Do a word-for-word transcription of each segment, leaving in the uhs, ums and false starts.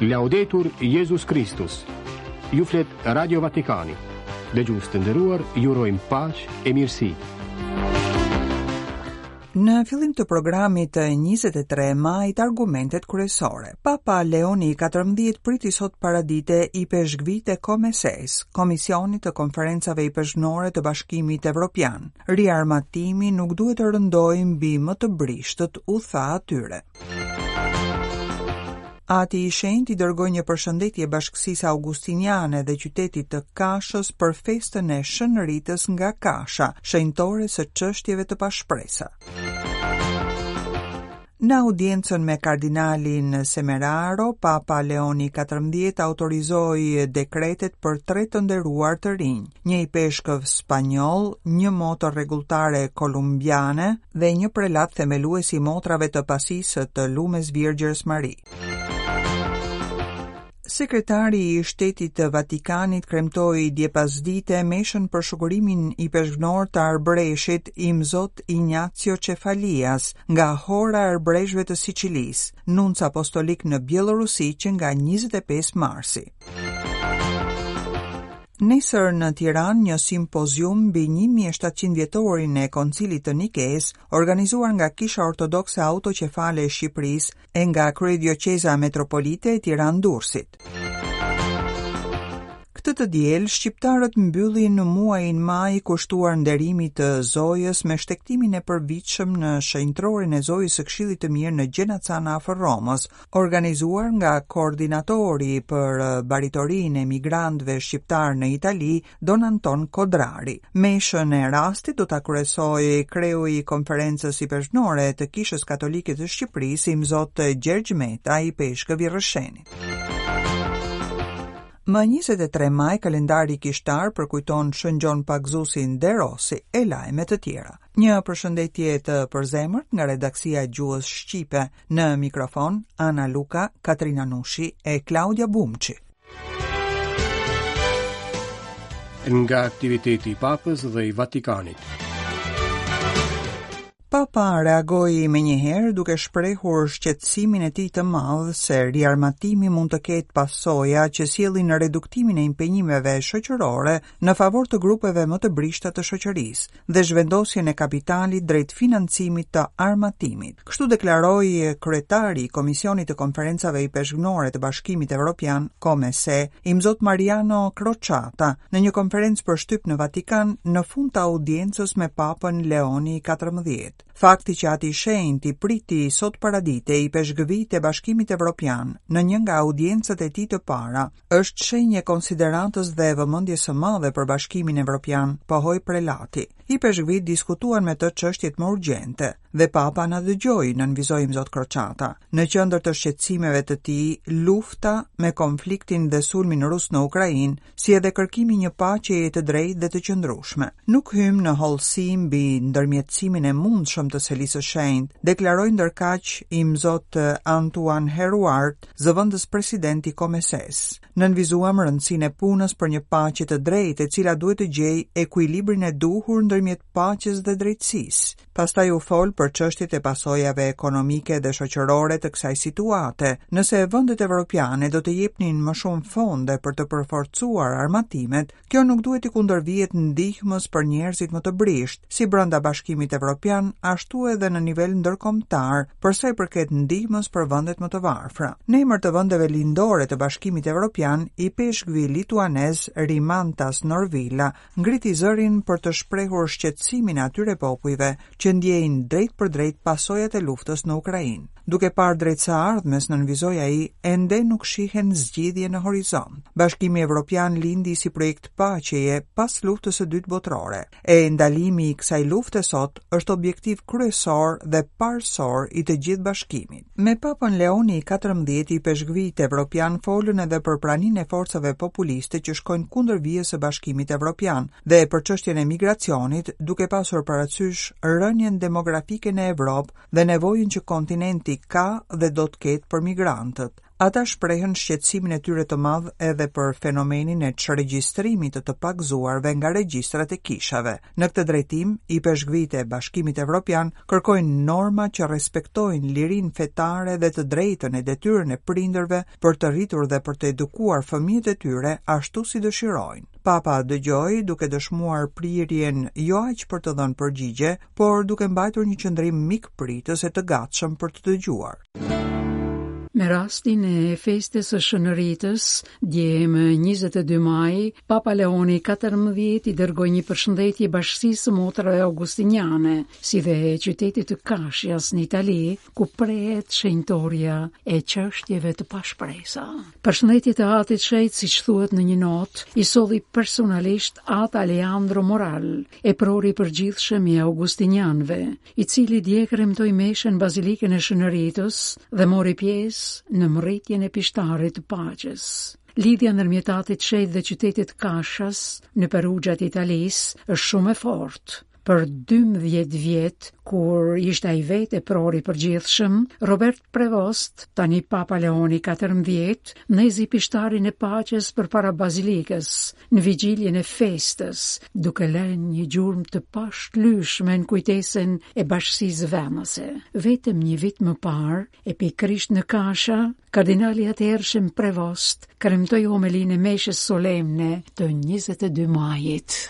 Laudetur Jezus Kristus. Ju flet Radio Vatikani. Dëgjues të nderuar, ju urojmë paqe e mirësi. Në fillim të programit të njëzet e tre majit, argumentet kryesore. Papa Leoni i katërmbëdhjetë priti sot paradite ipeshkvit e COMECE-s, Komisionit të Konferencave Ipeshkvnore të Bashkimit Evropian. "Riarmatimi nuk duhet të rëndojë mbi më të brishtët", u tha atyre. Ati i Shenjtë i dërgoi një përshëndetje bashkësisë augustiniane dhe qytetit të Kashës për festën e Shën Ritës nga Kasha, shenjtore së çështjeve të pashpresa. Në audiencën me kardinalin Semeraro, Papa Leoni katërmbëdhjetë autorizoi dekretet për tre të nderuar të rinj, një ipeshkëv spanjoll, një motër rregulltare kolumbiane dhe një prelat themelues i motrave të pasisë të Lumes Virgjërës Mari. Sekretari i Shtetit të Vatikanit kremtoi dje pasdite meshën për shukurimin ipeshkvnor të Arbreshit, Imzot Ignazio Cefalias, nga Hora e Arbreshëve të Sicilisë, nunc apostolik në Bjellorusi që nga njëzet e pesë marsi. Nesër në Tiranë një simpozium mbi një mijë e shtatëqind vjetorin e Koncilit të Nikes, organizuar nga Kisha Ortodokse Autoqefale e Shqipërisë e nga Kryedioqeza Metropolite e Tiranë-Durrësit. Këtë të diel, shqiptarët mbyllin në muajin maj kushtuar nderimit të Zojës me shtegtimin e përvitshëm në shenjtrorin e Zojës së Këshillit të Mirë në Genazzano afër Romës, organizuar nga koordinatori për baritorinë e migrantëve shqiptar në Itali, Don Anton Kodrari. Meshën e rastit do ta kryesojë kreu i Konferencës Ipeshkvnore të Kishës Katolike të Shqipërisë, Imzot Gjergj Meta, ipeshkëv i Rrëshenit. Më njëzet e tre maj, kalendari kishtar përkujton Shën Gjon Pagëzuesin De Rossi e lajme të tjera. Një përshëndetje të përzemërt nga redaksia e gjuhës shqipe, në mikrofon Ana Luka, Katrina Nushi e Klaudia Bumçi. Nga aktiviteti i Papës dhe i Vatikanit. Papa reagoi menjëherë duke shprehur shqetësimin e tij të madh se riarmatimi mund të ketë pasoja që sjellin reduktimin e impenjimeve shoqërore në favor të grupeve më të brishta të shoqërisë dhe zhvendosjen e kapitalit drejt financimit të armatimit. Kështu deklaroi kryetari i Komisionit të Konferencave Ipeshkvnore të Bashkimit Evropian, COMECE, Imzot Mariano Crociata, në një konferencë për shtyp në Vatikan në fund të audiencës me Papën Leoni katërmbëdhjetë. Fakti që Ati i Shenjtë i priti sot paradite ipeshkvit e Bashkimit Evropian në një nga audiencat e tij të para është shenjë e konsideratës dhe vëmendjes së madhe për Bashkimin Evropian, pohoi prelati. Ipeshkvit diskutuan me të çështjet më urgjente dhe Papa na dëgjoi, nënvizoi Imzot Crociata. Në qendër të shqetësimeve të tij, lufta me konfliktin dhe sulmin rus në Ukrainë, si edhe kërkimi një paqeje të drejtë dhe të qëndrueshme. "Nuk hym në hollësi mbi ndërmjetësimin e mundshëm të Selisë së Shenjtë", deklaroi ndërkaq Imzot Antoine Heruart, zëvendës president i COMECE-s. "Nënvizuam rëndësinë e punës për një paqe të drejtë, e cila duhet të gjejë ekuilibrin e duhur ndërmjet paqes dhe drejtësisë." Pastaj u fol për çështjet e pasojave ekonomike dhe shoqërore të kësaj situate. Nëse vendet evropiane do të jepnin më shumë fonde për të përforcuar armatimet, kjo nuk duhet të kundërvihet ndihmës për njerëzit më të brishtë, si brenda Bashkimit Evropian, ashtu edhe në nivel ndërkombëtar, për sa i përket ndihmës për vendet më të varfra. Në emër të vendeve lindore të Bashkimit Evropian, ipeshkvi lituanez Rimantas Norvila ngriti zërin për të shprehur shqetësimin e atyre popujve që ndjejnë drejt për drejt pasojat e luftës në Ukrainë. Duke parë drejt së ardhmes, nënvizoi ai, ende nuk shihen zgjidhje në horizont. Bashkimi Evropian lindi si projekt paqeje pas Luftës së Dytë Botërore. E ndalimi i kësaj lufte sot është objektiv kryesor dhe parësor i të gjithë bashkimit. Me Papën Leoni i katërmbëdhjetë ipeshkvit evropian folën edhe për praninë e forcave populiste që shkojnë kundër vijës së Bashkimit Evropian dhe për çështjen e migracionit, duke pasur parasysh rënien demografike në Evropë dhe nevojën që kontinenti ka dhe do të ketë për migrantët. Ata shprehën shqetësimin e tyre të madh edhe për fenomenin e çregjistrimit të të pagëzuarve nga regjistrat e kishave. Në këtë drejtim, ipeshkvit e Bashkimit Evropian kërkojnë norma që respektojnë lirinë fetare dhe të drejtën e detyrën e prindërve për të rritur dhe për të edukuar fëmijët e tyre ashtu si dëshirojnë. Papa dëgjoi duke dëshmuar prirjen jo aq për të dhënë përgjigje, por duke mbajtur një qëndrim mikpritës e të gatshëm për të dëgjuar. Me rastin e festës së Shën Ritës, dje më njëzet e dy maj, Papa Leoni katërmbëdhjetë i dërgoi një përshëndetje bashkësisë së motrave augustiniane, si dhe qytetit të Kashias në Itali, ku prehet shenjtoria e çështjeve të pashpresa. Përshëndetjet e Atit Shenjt, siç thuhet në një notë, i solli personalisht At Alejandro Moral, eprori i përgjithshëm i augustinianëve, i cili dje kremtoi meshën Bazilikën e Shën Ritës dhe mori pjesë në mrritjen e pishtarit të paqes. Lidhja ndërmjet Atit Shenjt dhe qytetit Kashas në Perugia të Italisë është shumë e fortë. Për dymbëdhjetë vjet, kur ishte ai vetë eprori i përgjithshëm, Robert Prevost, tani Papa Leoni katërmbëdhjetë, ndezi pishtarin e paqes përpara bazilikës, në vigjiljen e festës, duke lënë një gjurmë të pashlyeshme në kujtesën e bashkësisë vendase. Vetëm një vit më parë, e pikërisht në Kasha, kardinali atëhershëm Prevost kremtoi homelinë e meshës solemne të njëzet e dy majit.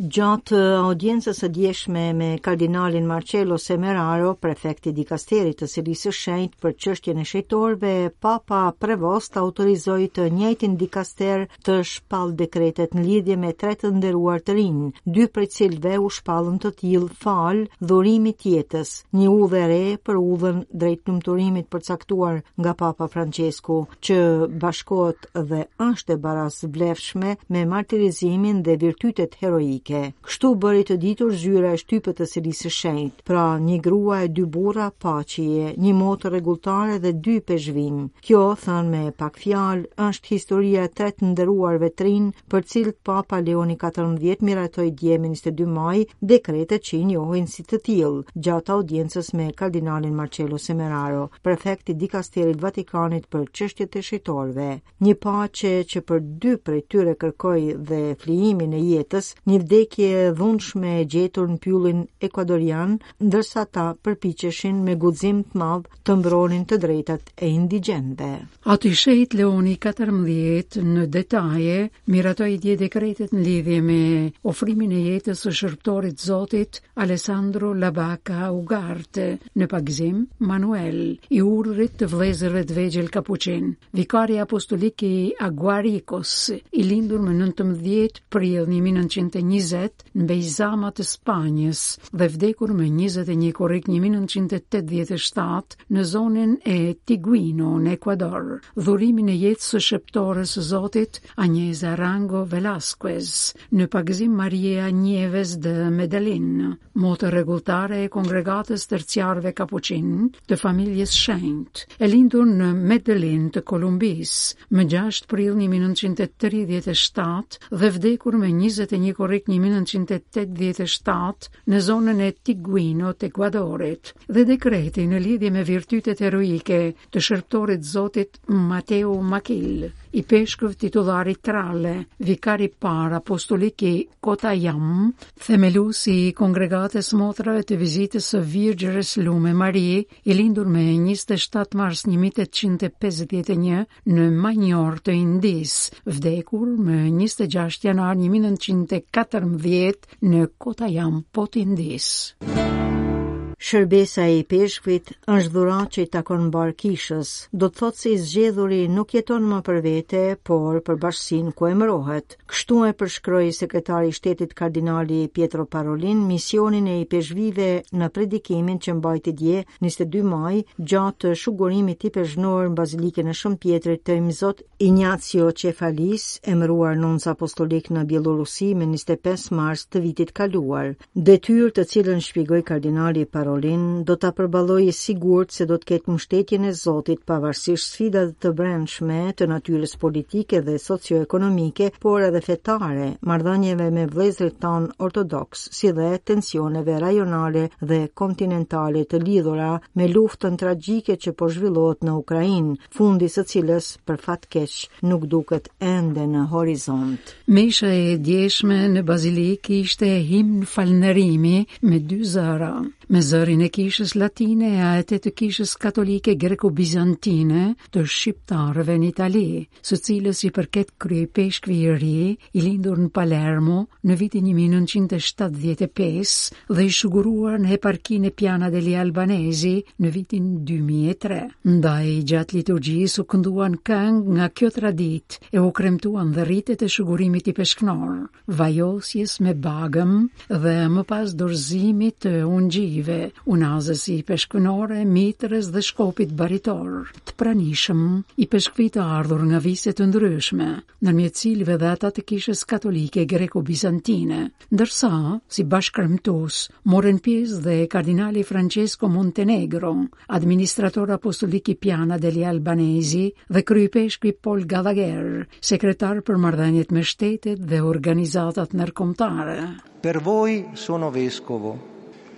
Gjatë audiencës së djeshme me kardinalin Marcello Semeraro, prefekti dikasterit të Selisë së Shenjtë për çështjen e shenjtorëve, Papa Prevost autorizoi të njëjtin dikaster të shpall dekretet në lidhje me tre të nderuar të rinj, dy prej cilëve u shpallën të tillë fal dhurimit jetës, një udhë e re për udhën drejt lumturimit përcaktuar nga Papa Francesku, që bashkohet dhe është e barasvlefshme me martirizimin dhe virtytet heroike. Kështu bëri të ditur zyra e shtypit të Selisë së Shenjtë, pra një grua e dy burra paqeje, një motër rregulltare dhe dy peshvin. Kjo, thënë me pak fjalë, është historia e tre të nderuarve të rinj, për cilët Papa Leoni katërmbëdhjetë miratoi dje më njëzet e dy maj dekretet që i njohin si të tillë, gjatë audiencës me kardinalin Marcello Semeraro, prefekt i dikasterit Vatikanit për çështjet e shenjtorëve. Një paqe që për dy prej tyre kërkoi dhe flijimin e jetës, një vdekje e dhunshme e gjetur në pyllin ekuadorian, ndërsa ta përpiqeshin me guxim të madh të mbronin të drejtat e indigjenëve. Ati Shenjt Leoni katërmbëdhjetë në detaje miratoi dje dekretet në lidhje me ofrimin e jetës së shërbëtorit Zotit Alessandro Labaca Ugarte në pagëzim Manuel i urdhrit të vëllezërve të vegjël Kapuçin, vikari apostolik i Aguaricos, i lindur më nëntëmbëdhjetë prill një mijë nëntëqind e njëzet në Beizama të Spanjës dhe vdekur më njëzet e një korrik një mijë nëntëqind e tetëdhjetë e shtatë në zonën e Tiguino në Ekuador. Dhurimin e jetës së shërbëtores së Zotit Agnesa Rango Velasquez në pagëzim Maria Nieves de Medellin, motër rregulltare e kongregatës terciarëve Kapuçin të familjes Shenjt, e lindur në Medellin të Kolumbisë më gjashtë prill një mijë nëntëqind e tridhjetë e shtatë dhe vdekur më njëzet e një korrik një mijë nëntëqind e tetëdhjetë e shtatë në zonën e Tiguino të Ekuadorit, dhe dekreti në lidhje me virtytet heroike të shërbëtorit Zotit Mateo Makil, i peshkëv titullari Trale, vikari parë apostolik i Kotajam, themeluesi i kongregatës motrave të vizitës së Virgjërës Lume Mari, i lindur më njëzet e shtatë mars një mijë tetëqind e pesëdhjetë e një në Manjor të Indisë, vdekur më njëzet e gjashtë janar një mijë nëntëqind e katërmbëdhjetë në Kotajam, po të Indisë. Shërbesa e ipeshkvit është dhuratë që i takon mbar kishës, do të thotë se i zgjedhuri nuk jeton më për vete, por për bashkësinë ku emërohet. Kështu e përshkroi sekretari i shtetit kardinali Pietro Parolin misionin e ipeshkvive në predikimin që mbajti dje, njëzet e dy maj, gjatë shugurimit ipeshkvnor në Bazilikën e Shën Pietrit të Imzot Ignazio Cefalis, emëruar nonc apostolik në Bjellorusi më njëzet e pesë mars të vitit kaluar. Detyrë të cilën shpjegoi kardinali Parolin Parolin do ta përballojë i sigurt se do të ketë mbështetjen e Zotit pavarësisht sfidave të brendshme të natyrës politike dhe socioekonomike, por edhe fetare, marrëdhënieve me vëllezërit tanë ortodoks, si dhe tensioneve rajonale dhe kontinentale të lidhura me luftën tragjike që po zhvillohet në Ukrainë, fundi së cilës për fat keq nuk duket ende në horizont. Mesha e djeshme në Bazilik ishte himn falënderimi me dy zëra, me zërin e kishës latine e atë të kishës katolike greko-bizantine të shqiptarëve në Itali, së cilës i përket kryeipeshkvi i ri, i lindur në Palermo në vitin një mijë e nëntëqind e shtatëdhjetë e pesë dhe i shuguruar në eparkinë e Piana degli Albanesi në vitin dy mijë e tre. Ndaj gjatë liturgjisë u kënduan këngë nga kjo traditë e u kremtuan dhe ritet e shugurimit ipeshknor, vajosjes me bagëm dhe më pas dorëzimit të ungjive, unazës ipeshkvnore, mitrës dhe shkopit baritor. Të pranishëm, ipeshkvi të ardhur nga vise të ndryshme, ndërmjet cilëve dhe ata të kishës katolike greko-bizantine, ndërsa, si bashkërmtues, morën pjesë dhe kardinali Francesco Montenegro, administrator apostolik i Piana degli Albanesi dhe kryeipeshkvi Paul Gallagher, sekretar për marrëdhëniet me shtetet dhe organizatat ndërkombëtare. Per voi sono vescovo,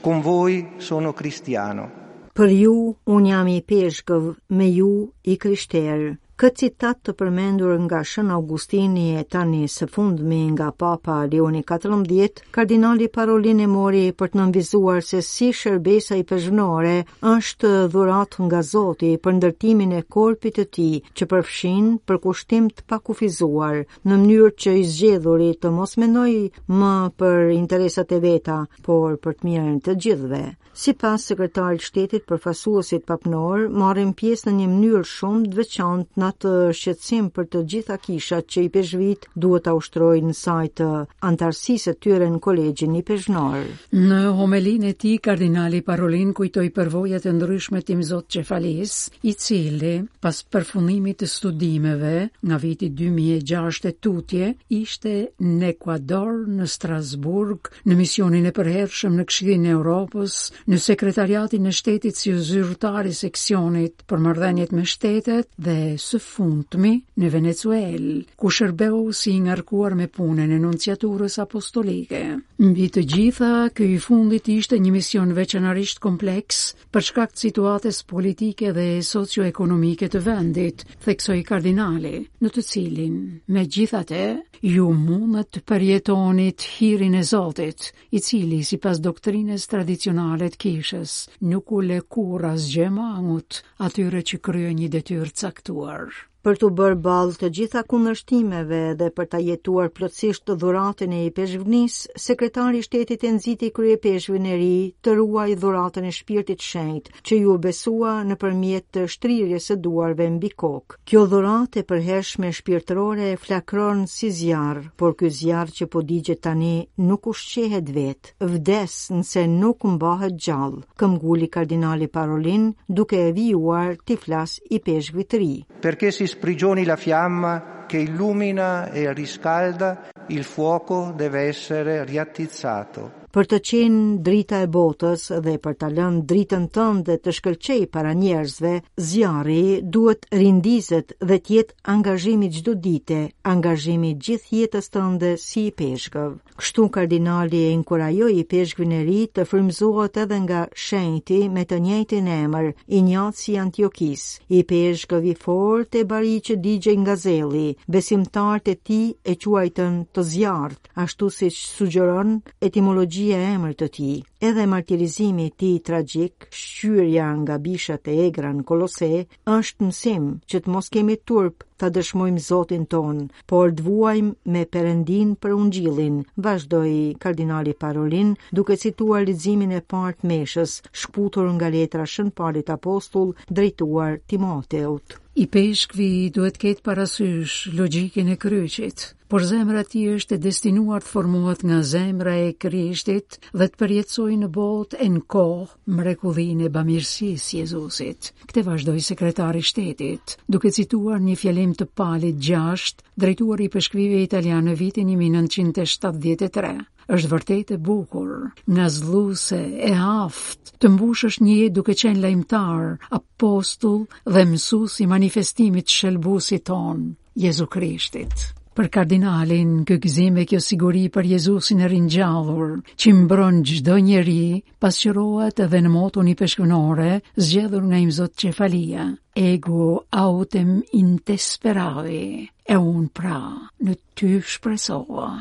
con voi sono cristiano. Për ju, unë jam ipeshkëv, me ju i krishterë. Këtë citat të përmendur nga Shën Augustini e tani së fundmi nga Papa Leoni katërmbëdhjetë, kardinali Parolin e mori për të nënvizuar se si shërbesa ipeshkvnore është dhuratë nga Zoti për ndërtimin e korpit të tij, që përfshin përkushtim të pakufizuar, në mënyrë që i zgjedhuri të mos mendojë më për interesat e veta, por për të mirën e të gjithëve. Sipas sekretarit shtetit, përfaqësuesit papnor marrin pjesë në një mënyrë shumë të veçantë në atë shqetësim për të gjitha kishat që ipeshkvit duhet ta ushtrojnë në saj të antarësisë së tyre në kolegjin ipeshkvnor. Në homelinë e tij, kardinali Parolin kujtoi përvojat e ndryshme të Imzot Qefalis, i cili, pas përfundimit të studimeve nga viti dy mijë e gjashtë e tutje, ishte në Ekuador, në Strasburg, në misionin e përhershëm në Këshillin e Europës, në sekretariatin e shtetit si zyrtar i seksionit për marrëdhëniet me shtetet dhe së fundmi në Venezuelë, ku shërbeu si i ngarkuar me punën e nunciaturës apostolike. Mbi të gjitha, ky i fundit ishte një mision veçanërisht kompleks për shkak të situatës politike dhe socioekonomike të vendit, theksoi kardinali, në të cilin, megjithatë, ju mundet të përjetonit hirin e Zotit, i cili, sipas doktrinës tradicionale të kishës, nuk u lë kurrë asgjë mangut atyre që kryejnë një detyrë caktuar. Për t'u bërë ballë të gjitha kundërshtimeve dhe për ta jetuar plotësisht dhuratën e ipeshkvnisë, sekretari i shtetit e nxiti kryepeshkvin e ri të ruajë dhuratën e Shpirtit Shenjt, që ju besua nëpërmjet të shtrirjes së duarve mbi kokë. Kjo dhuratë e përhershme shpirtërore flakron si zjarr, por ky zjarr që po digjet tani nuk ushqehet vetë, vdes nëse nuk mbahet gjallë, këmbguli kardinali Parolin, duke e vijuar t'i flas ipeshkvit të ri. Perché si sprigioni la fiamma che illumina e riscalda, il fuoco deve essere riattizzato. Për të qenë drita e botës dhe për ta lënë dritën tënde të shkëlqej para njerëzve, zjarri duhet rindizet dhe të jetë angazhimi çdo dite, angazhimi gjithë jetës tënde si ipeshkëv. Kështu kardinali e inkurajoi ipeshkvin e ri të frymëzohet edhe nga shenjti me të njëjtin emër, Injaci i Antiokisë, ipeshkëv i fortë e bari që digjej nga zelli. Besimtarët e tij e quajtën të zjarrt, ashtu siç sugjeron etimologjia e emrit të tij. Edhe martirizimi i tij tragjik, shqyrja nga bishat e egra në Kolose, është mësim që të mos kemi turp ta dëshmojmë Zotin ton, por të vuajmë me Perëndin për Ungjillin, vazhdoi kardinali Parolin, duke cituar leximin e parë të meshës, shkputur nga letra Shën Palit Apostull drejtuar Timoteut. Ipeshkvi duhet ketë parasysh logjikën e kryqit, por zemra e tij është e destinuar të formohet nga zemra e Krishtit dhe të përjetësojë në botë e në kohë mrekullinë e bamirësisë Jezusit. Këtë vazhdoi sekretari i shtetit, duke cituar një fjalim të Palit gjashtë, drejtuar ipeshkvive italian në vitin një mijë e nëntëqind e shtatëdhjetë e tre. Është vërtet e bukur, ngazëlluese, e aftë, të mbushësh një jetë duke qenë lajmëtar, apostull dhe mësues i manifestimit të shëlbuesit tonë, Jezu Krishtit. Për kardinalin, ky gëzim e kjo siguri për Jezusin e ringjallur, që mbron çdo njeri, pasqyrohet edhe në moton ipeshkvnore, zgjedhur nga Imzot Qefalia. Ego autem in te speravi, e unë pra në ty shpresova.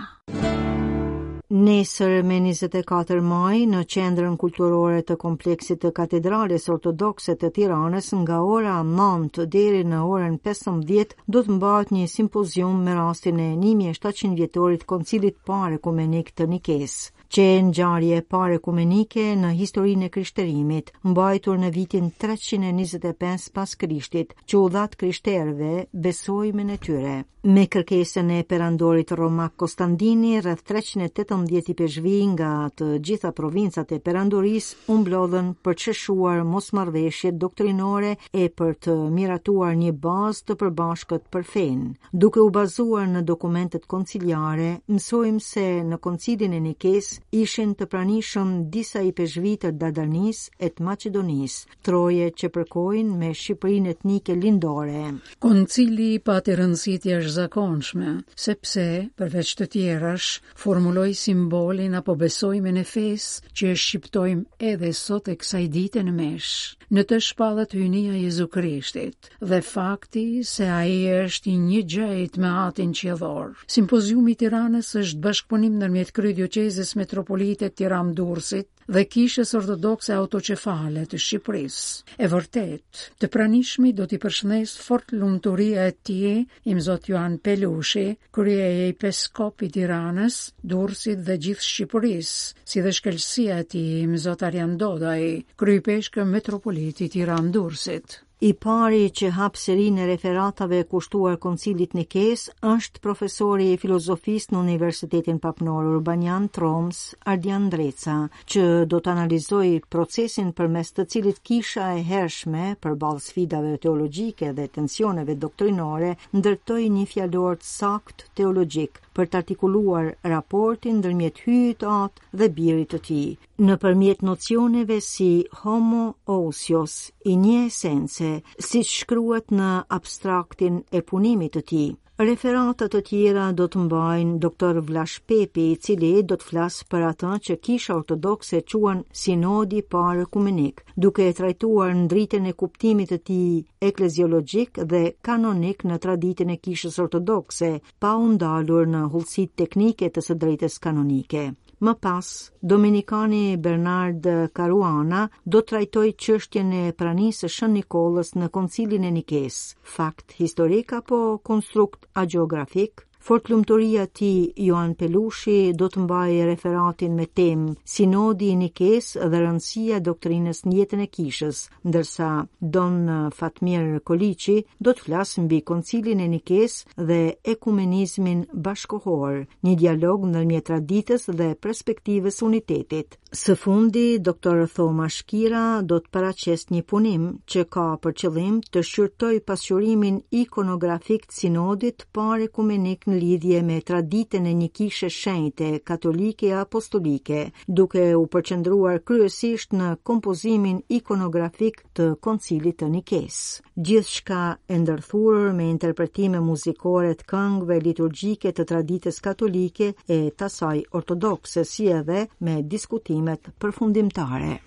Nesër me njëzet e katër maj në Qendrën Kulturore të Kompleksit të Katedrales Ortodokse të Tiranës nga ora nëntë deri në orën pesëmbëdhjetë do të mbahet një simpozium me rastin e një mijë e shtatëqind vjetorit Koncilit Parë Ekumenik të Nikesë, që e ngjarje e parë ekumenike në historinë e krishterimit, mbajtur në vitin treqind e njëzet e pesë pas Krishtit, që u dha të krishterëve besojmin e tyre. Me kërkesën e perandorit romak Konstandini, rreth treqind e tetëmbëdhjetë ipeshkvi nga të gjitha provincat e perandorisë u mblodhën për të sheshuar mosmarrëveshjet doktrinore e për të miratuar një bazë të përbashkët për fenë. Duke u bazuar në dokumentet konciliare, mësojmë se në koncilin e Nikesë ishin të pranishëm disa ipeshkvi të Dardanisë e të Maqedonisë, troje që përkojnë me Shqipërinë etnike lindore. Koncili pati rëndësi të jashtëzakonshme, sepse, përveç të tjerash, formuloi simbolin apo besojmin e fesë që e shqiptojmë edhe sot e kësaj dite në mesh. Në të shpallet hyjnia e Jezu Krishtit dhe fakti se ai është i njëgjëjtë me Atin Qiellor. Simpoziumi i Tiranës është bashkëpunim ndërmjet Kryedioqezës Metropolite Tiranë-Durrësit dhe Kishës Ortodokse Autoqefale të Shqipërisë. E vërtet, të pranishmi do t'i përshëndes fort lumturia e tij, Imzot Joan Pelushi, kryeepiskop i Tiranës, Durrësit dhe gjithë Shqipërisë, si dhe shkëlqesia e tij, Imzot Arjan Dodaj, kryepeshkë metropolit i Tiranë-Durrësit. I pari që hap serinë e referatave kushtuar Koncilit Nikes është profesori i filozofisë në Universitetin Papnor Urbanian Troms, Ardian Ndreca, që do të analizojë procesin përmes të cilit kisha e hershme, përballë sfidave teologjike dhe tensioneve doktrinore, ndërtoi një fjalor të saktë teologjik për të artikuluar raportin ndërmjet Hyjit Atë dhe Birit të Tij, nëpërmjet nocioneve si homo ousios, i një esence, siç shkruhet në abstraktin e punimit të tij. Referata të tjera do të mbajnë doktor Vlash Pepi, i cili do të flasë për atë që Kisha Ortodokse quan Sinodi Parë Ekumenik, duke e trajtuar ndritën e kuptimit të tij ekleziologjik dhe kanonik në traditën e Kishës Ortodokse, pa u ndalur në hollësitë teknike të së drejtës kanonike. Më pas, Dominikani Bernard Caruana do trajtoj çështjen e pranisë së Shën Nikollës në Koncilin e Nikes, fakt historik apo konstrukt agjeografik. Fortlumturia e tij Joan Pelushi do të mbajë referatin me temë Sinodi i Nikes dhe rëndësia e doktrinës në jetën e kishës, ndërsa Don Fatmir Koliqi do të flasë mbi Koncilin e Nikes dhe ekumenizmin bashkohor, një dialog ndërmjet traditës dhe perspektivës unitetit. Së fundi, doktor Thoma Shkira do të paraqesë një punim që ka për qëllim të shqyrtojë pasqyrimin ikonografik të sinodit parë ekumenik në lidhje me traditën e një kishe shenjte katolike e apostolike, duke u përqendruar kryesisht në kompozimin ikonografik të Koncilit të Nikes. Gjithçka e ndërthurur me interpretime muzikore të këngëve liturgjike të traditës katolike e të asaj ortodokse, si edhe me diskutimet përfundimtare.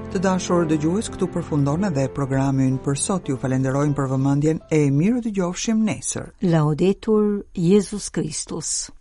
Të dashur dëgjues, këtu përfundon edhe programi ynë për sot. Ju falenderojmë për vëmendjen e mirë dëgjofshim nesër. Laudetur Jezus Kristus.